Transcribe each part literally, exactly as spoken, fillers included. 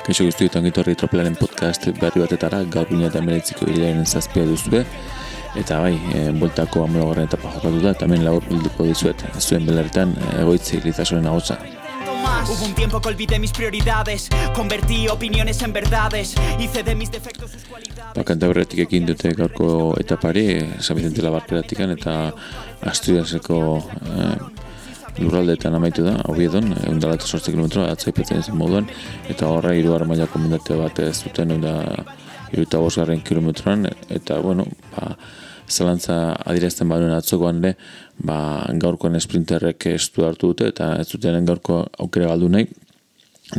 Kaixo guzti eta ongitorri Tropelaren podcast berri batetara, gaur bina eta meretziko hilaren zazpia duzue. Eta bai, e, boltako amologarren etapa jokatu da, eta hemen labur bilduko dizuet, zuen belarretan egoitzi Litasoren agotza. Hubo un tiempo que olvidé mis prioridades, convertí opiniones en verdades, hice de mis defectos sus cualidades. Ba, Kantabriatik ekin dute gaurko etapari, San Vicente Labarkeratikan eta Asturiaseko eh, lurraldeetan amaitu da, Oviedon, ehun eta zortzi kilometro, atzaipetzen zen moduan, eta horra hirugarren mailako mendate bat ez duten, ehun eta hirurogeita bosgarren kilometroan, eta, bueno, ba, zalantza adierazten baduen atzokoan ere, ba, gaurkoan sprinterrek estu hartu dute, eta ez duten gaurko aukera galdu nahi,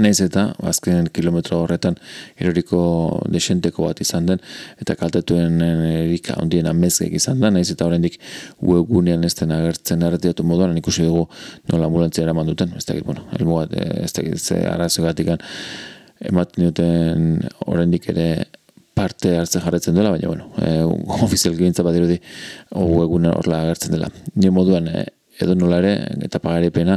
nahiz eta azken kilometro horretan eroriko desenteko bat izan den eta kaltetuen erika ondien amezgek izan da, nahiz eta oraindik webgunean ez den agertzen erretiratu moduan ikusi dugu nola ambulantzia eraman duten, ez dakit, bueno, helmu bat, ez dakit, ze arazogatik ematen duten oraindik ere parte hartzen jarretzen dela, baina, bueno, e, ofizialki gintza bat dirudi webgunean horrela agertzen dela. Nire moduan, e, edo nola ere, eta pagaripena,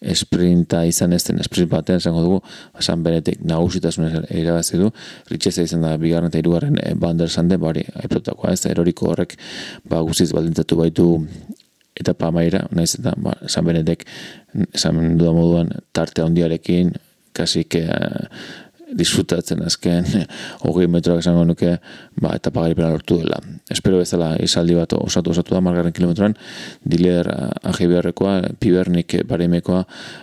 esprinta izan ez den, esprint batean esango dugu, San Benetek nagusitasunez irabazi du, Ritxeza izan da bigarren eta hirugarren e, Bander Sande, bari, aiprotakoa ez, eroriko horrek ba, guztiz baldintzatu baitu etapa amaira, nahiz eta ba, San Benetek, esan duda moduan, tarte handiarekin, kasik e, disfrutatzen azken hogei metroak esango nuke ba, eta pagaripena lortu dela. Espero bezala izaldi bat osatu osatu da margarren kilometroan, Diler Ajibiarrekoa, Pibernik Baremekoa,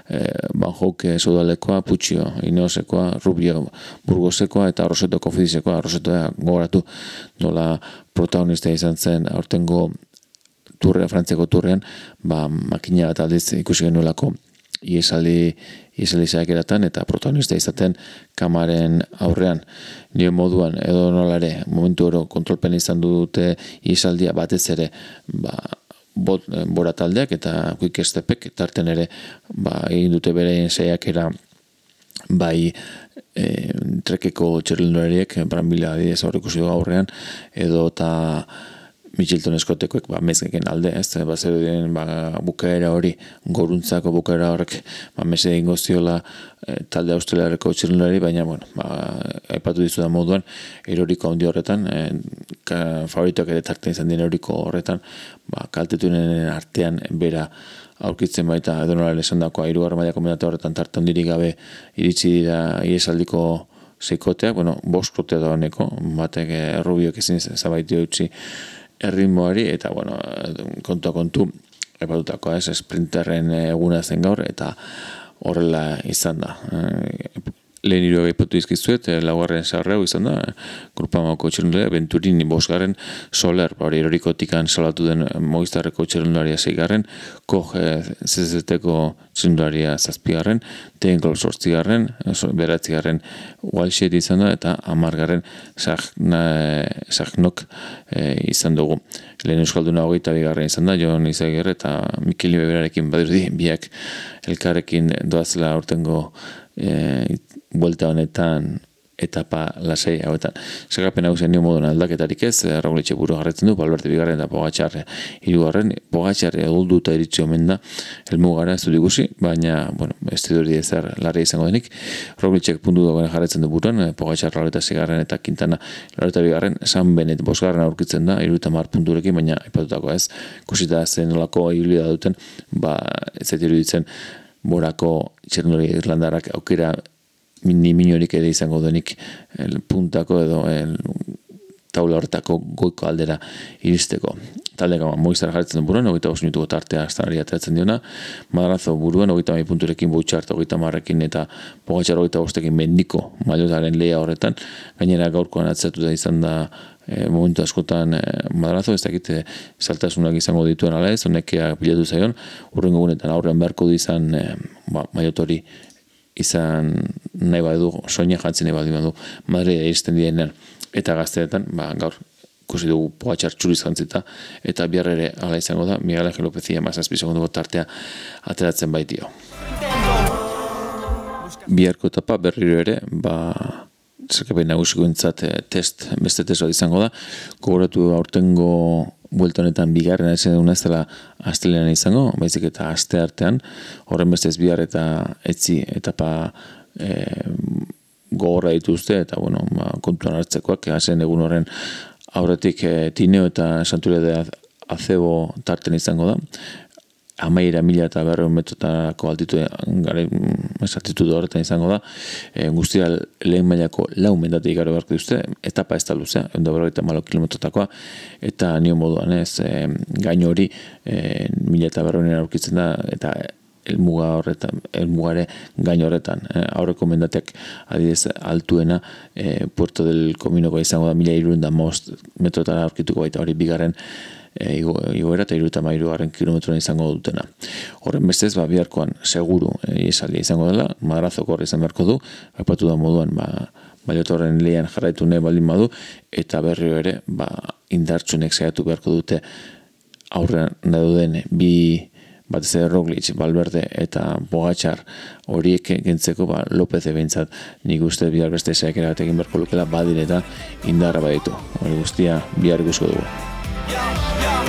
eh, Banjouk Sodalekoa, Putxio Ineosekoa, Rubio Burgosekoa eta Roseto Kofidisekoa, Rosetoa gogoratu nola protagonista izan zen aurtengo turrea, Frantziako turrean, ba, makina bat aldiz ikusi genuelako iesaldi Iesali zaikeratan eta protagonista izaten kamaren aurrean. Nire moduan, edo nolare, momentu oro kontrolpen izan dute iesaldia batez ere ba, bot, bora taldeak eta quick stepek tarten ere ba, egin dute bere saiakera bai e, trekeko txerrendulariek, Brambila adidez aurrikusi du aurrean, edo eta Mitchelton eskotekoek ba, mezgeken alde, ez, ba, zer ba, bukaera hori, goruntzako bukaera horrek, ba, meze egingo ziola e, talde australiarreko txirrendulari, baina, bueno, ba, aipatu dizu da moduan, eroriko handi horretan, e, ka, favoritoak ere tarten izan den eroriko horretan, ba, kaltetunen artean bera aurkitzen baita, edo nola esan dakoa, hirugarren mailako mendate horretan tarte handirik gabe iritsi dira iesaldiko seikoteak, bueno, boskotea da honeko, batek e, Rubiok ezin zabaitio utzi erritmoari, eta, bueno, kontua kontu, epatutakoa ez, sprinterren eguna zen gaur, eta horrela izan da. Lehen hiru aipatu izkizuet, laugarren zaharreu izan da, Grupamako txerrendularia, Venturini bosgarren, Soler, hori erorikotikan salatu den Movistarreko txerrendularia zeigarren, Koch Z Z T-ko txerrendularia zazpigarren, Tenkol sortzigarren, beratzigarren Walshet izan da, eta amargarren Sagnok e, izan dugu. Lehen euskalduna hogeita bigarren izan da, Jon Izaguirre eta Mikel Ibeberarekin badirudi, biak elkarrekin doazela aurtengo e, buelta honetan etapa lasai hauetan. Sagapen hau zen nio modun aldaketarik ez, Raul Etxeburu jarretzen du, Valverde bigarren eta Pogačar hirugarren, Pogačar edulduta iritsi omen da, helmugara ez dut ikusi, baina, bueno, ez dut ezer larria izango denik, Raul Etxek puntu dagoen jarretzen du buruan, Pogačar Laureta zigarren eta Quintana Laureta bigarren, San Benet bosgarren aurkitzen da, hirurogeita hamar punturekin, baina ipatutako ez, kusita zen nolako ibilida duten, ba, ez zait iruditzen borako txerrendulari irlandarrak aukera ni minorik ere izango denik el puntako edo el taula horretako goiko aldera iristeko. Taldeka Movistar jarretzen buruan, hogeita bost minutuko tartea astanari ateratzen diona, Madrazo buruan, hogeita hamar punturekin Bouchard, hogeita hamarrekin eta Pogačar hogeita bostekin mendiko mailotaren lehia horretan, gainera gaurkoan atzeratu da izan da e, momentu askotan e, Madrazo, ez dakite saltasunak izango dituen ala ez, honekea pilatu zaion, urrengo gunetan aurrean beharko du izan e, ba, mailotori izan nahi badu, soina jantzen nahi badu, Madrid iristen direnean eta gazteetan, ba, gaur ikusi dugu Pogačar txuriz jantzita, eta bihar ere ala izango da, Miguel Ángel López hamazazpi segunduko tartea ateratzen baitio. Biharko etapa berriro ere, ba, zerkapen nagusikoentzat test, beste test bat izango da, gogoratu aurtengo buelta honetan bigarren ez duna ez dela astelenan izango, baizik eta aste artean, horren bestez bihar eta etzi etapa e, gogorra dituzte, eta bueno, ba, kontuan hartzekoak, hazen egun horren aurretik e, Tineo eta Santuria de Acebo tarten izango da, amaira mila eta berreun metrotako altitu altitude horretan izango da, e, guztira lehen mailako lau mendatik garo beharko duzte, etapa ez da luzea, egun da berrogeita malo kilometrotakoa, eta nio moduan ez, e, gaino hori e, mila eta berreun aurkitzen da, eta elmuga horretan, elmugare gaino horretan, e, aurreko mendateak adidez altuena, e, Puerto del Cominoko izango da mila hirurehun eta hamabost metrotara aurkituko baita hori bigarren E, igoera eta hirurogeita hamairu garren kilometroan izango dutena. Horren bestez, ba, biharkoan seguru e, esaldia izango dela, Madrazoko horre izan beharko du, aipatu da moduan, ba, Baiotorren lehian jarraitu nahi baldin badu, eta berriro ere, ba, indartsunek saiatu beharko dute aurrean dauden bi batez ere Roglic, Valverde eta Pogačar horiek gentzeko ba, Lopez behintzat nik uste bihar beste saiakera bat egin beharko lukela badire eta indarra baditu. Hori guztia bihar ikusko dugu. Yeah, yeah.